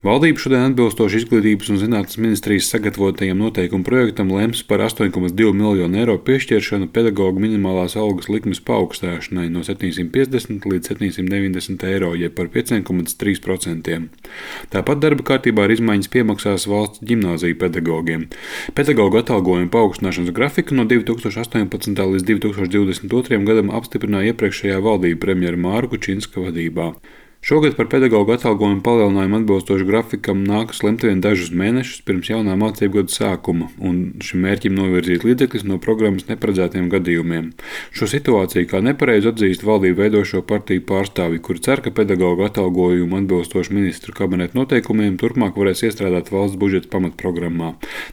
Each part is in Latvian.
Valdība šodien atbilstoši Izglītības un zinātnes ministrijas sagatavotajam noteikumu projektam lems par 8,2 miljonu eiro piešķiršanu pedagoģu minimālās algas likmes paaugstināšanai no 750 līdz 790 eiro, jeb par 5,3%. Tāpat darba kārtībā ir izmaiņas piemaksās valsts ģimnāziju pedagogiem. Pedagoģu atalgojumu paaugstināšanas grafiku no 2018. līdz 2022. gadam apstiprināja iepriekšējā valdība premjera Māra Kučinska vadībā. Šogad par pedagoģu atalgojumu palielinājumu atbilstoši grafikam nākas lemt vien dažus mēnešus pirms jaunā mācību gada sākuma, un šim mērķim novirzīt līdzekļus no programmas neparedzētiem gadījumiem. Šo situāciju kā nepareizu atzīst valdību veidošo partiju pārstāvji, kuri cer, ka pedagoģu atalgojumu atbilstoši ministru kabineta noteikumiem turpmāk varēs iestrādāt valsts budžeta pamatprogrammā.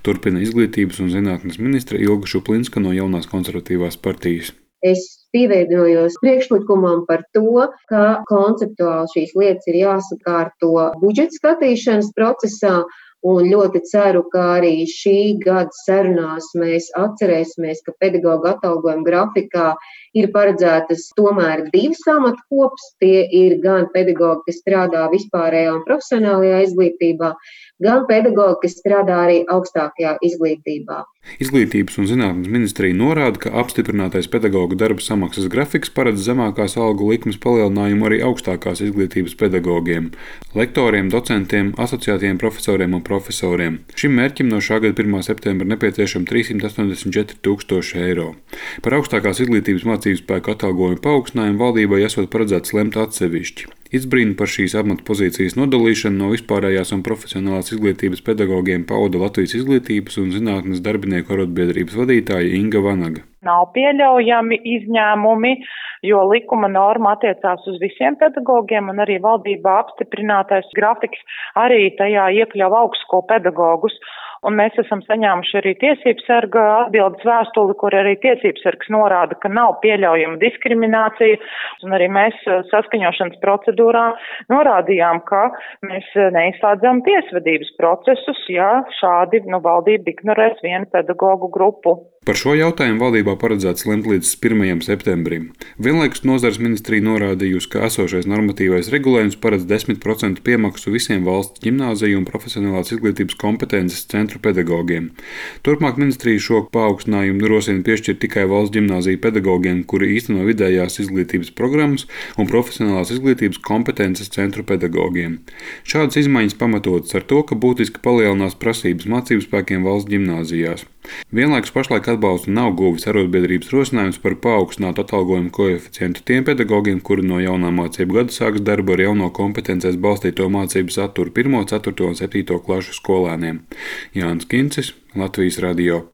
Turpina Izglītības un zinātnes ministre Ilga Šuplinska no Jaunās konservatīvās partijas. Es pievienojos priekšlikumam par to, ka konceptuāli šīs lietas ir jāsakārto budžeta skatīšanas procesā, un ļoti ceru, ka arī šī gada sarunās mēs atcerēsimies, ka pedagoģu atalgojuma grafikā ir paredzētas tomēr divas amatkopas. Tie ir gan pedagoģi, kas strādā vispārējā un profesionālajā izglītībā, gan pedagoģi, kas strādā arī augstākajā izglītībā. Izglītības un zinātnes ministrija norāda, ka apstiprinātais pedagoģu darba samaksas grafiks paredz zemākās algu likmes palielinājumu arī augstākās izglītības pedagogiem, lektoriem, docentiem, asociētiem profesoriem un profesoriem. Šim mērķim no šā gada 1. septembra nepieciešami 384 000 eiro. Par augstākās izglītības mācību spēku atalgojumu paaugstinājumu valdībai esot paredzēts lemt atsevišķi. Izbrīnu par šīs amatpozīcijas nodalīšanu no vispārējās un profesionālās izglītības pedagogiem pauda Latvijas Izglītības un zinātnes darbinieku arotbiedrības vadītāja Inga Vanaga. Nav pieļaujami izņēmumi, jo likuma norma attiecās uz visiem pedagogiem, un arī valdībā apstiprinātais grafiks arī tajā iekļauj augstskolu pedagogus. Un mēs esam saņēmuši arī tiesību sarga atbildes vēstuli, kur arī tiesību sargs norāda, ka nav pieļaujama diskriminācija, un arī mēs saskaņošanas procedūrā norādījām, ka mēs neizslēdzam tiesvedības procesus, ja šādi valdība ignorēs vienu pedagogu grupu. Par šo jautājumu valdībā paredzēts lemt līdz 1. septembrim. Vienlaikus nozares ministrija norādījusi, ka esošais normatīvais regulējums paredz 10% piemaksu visiem valsts ģimnāziju un profesionālās izglītības kompetences centru pedagogiem. Turpmāk ministrija šo paaugstinājumu rosina piešķirt tikai valsts ģimnāziju pedagogiem, kuri īsteno vidējās izglītības programmas un profesionālās izglītības kompetences centru pedagogiem. Šādas izmaiņas pamatotas ar to, ka būtiski palielinās prasības mācību spēkiem valsts ģimnāzijās. Vienlaikus pašlaik atbalstu nav guvis arotbiedrības rosinājums par paaugstinātu atalgojumu koeficientu tiem pedagogiem, kuri no jaunā mācību gada sāks darbu ar jauno kompetencēs balstīto mācību saturu 1., 4. un 7. klašu skolēniem. Jānis Kincis, Latvijas radio.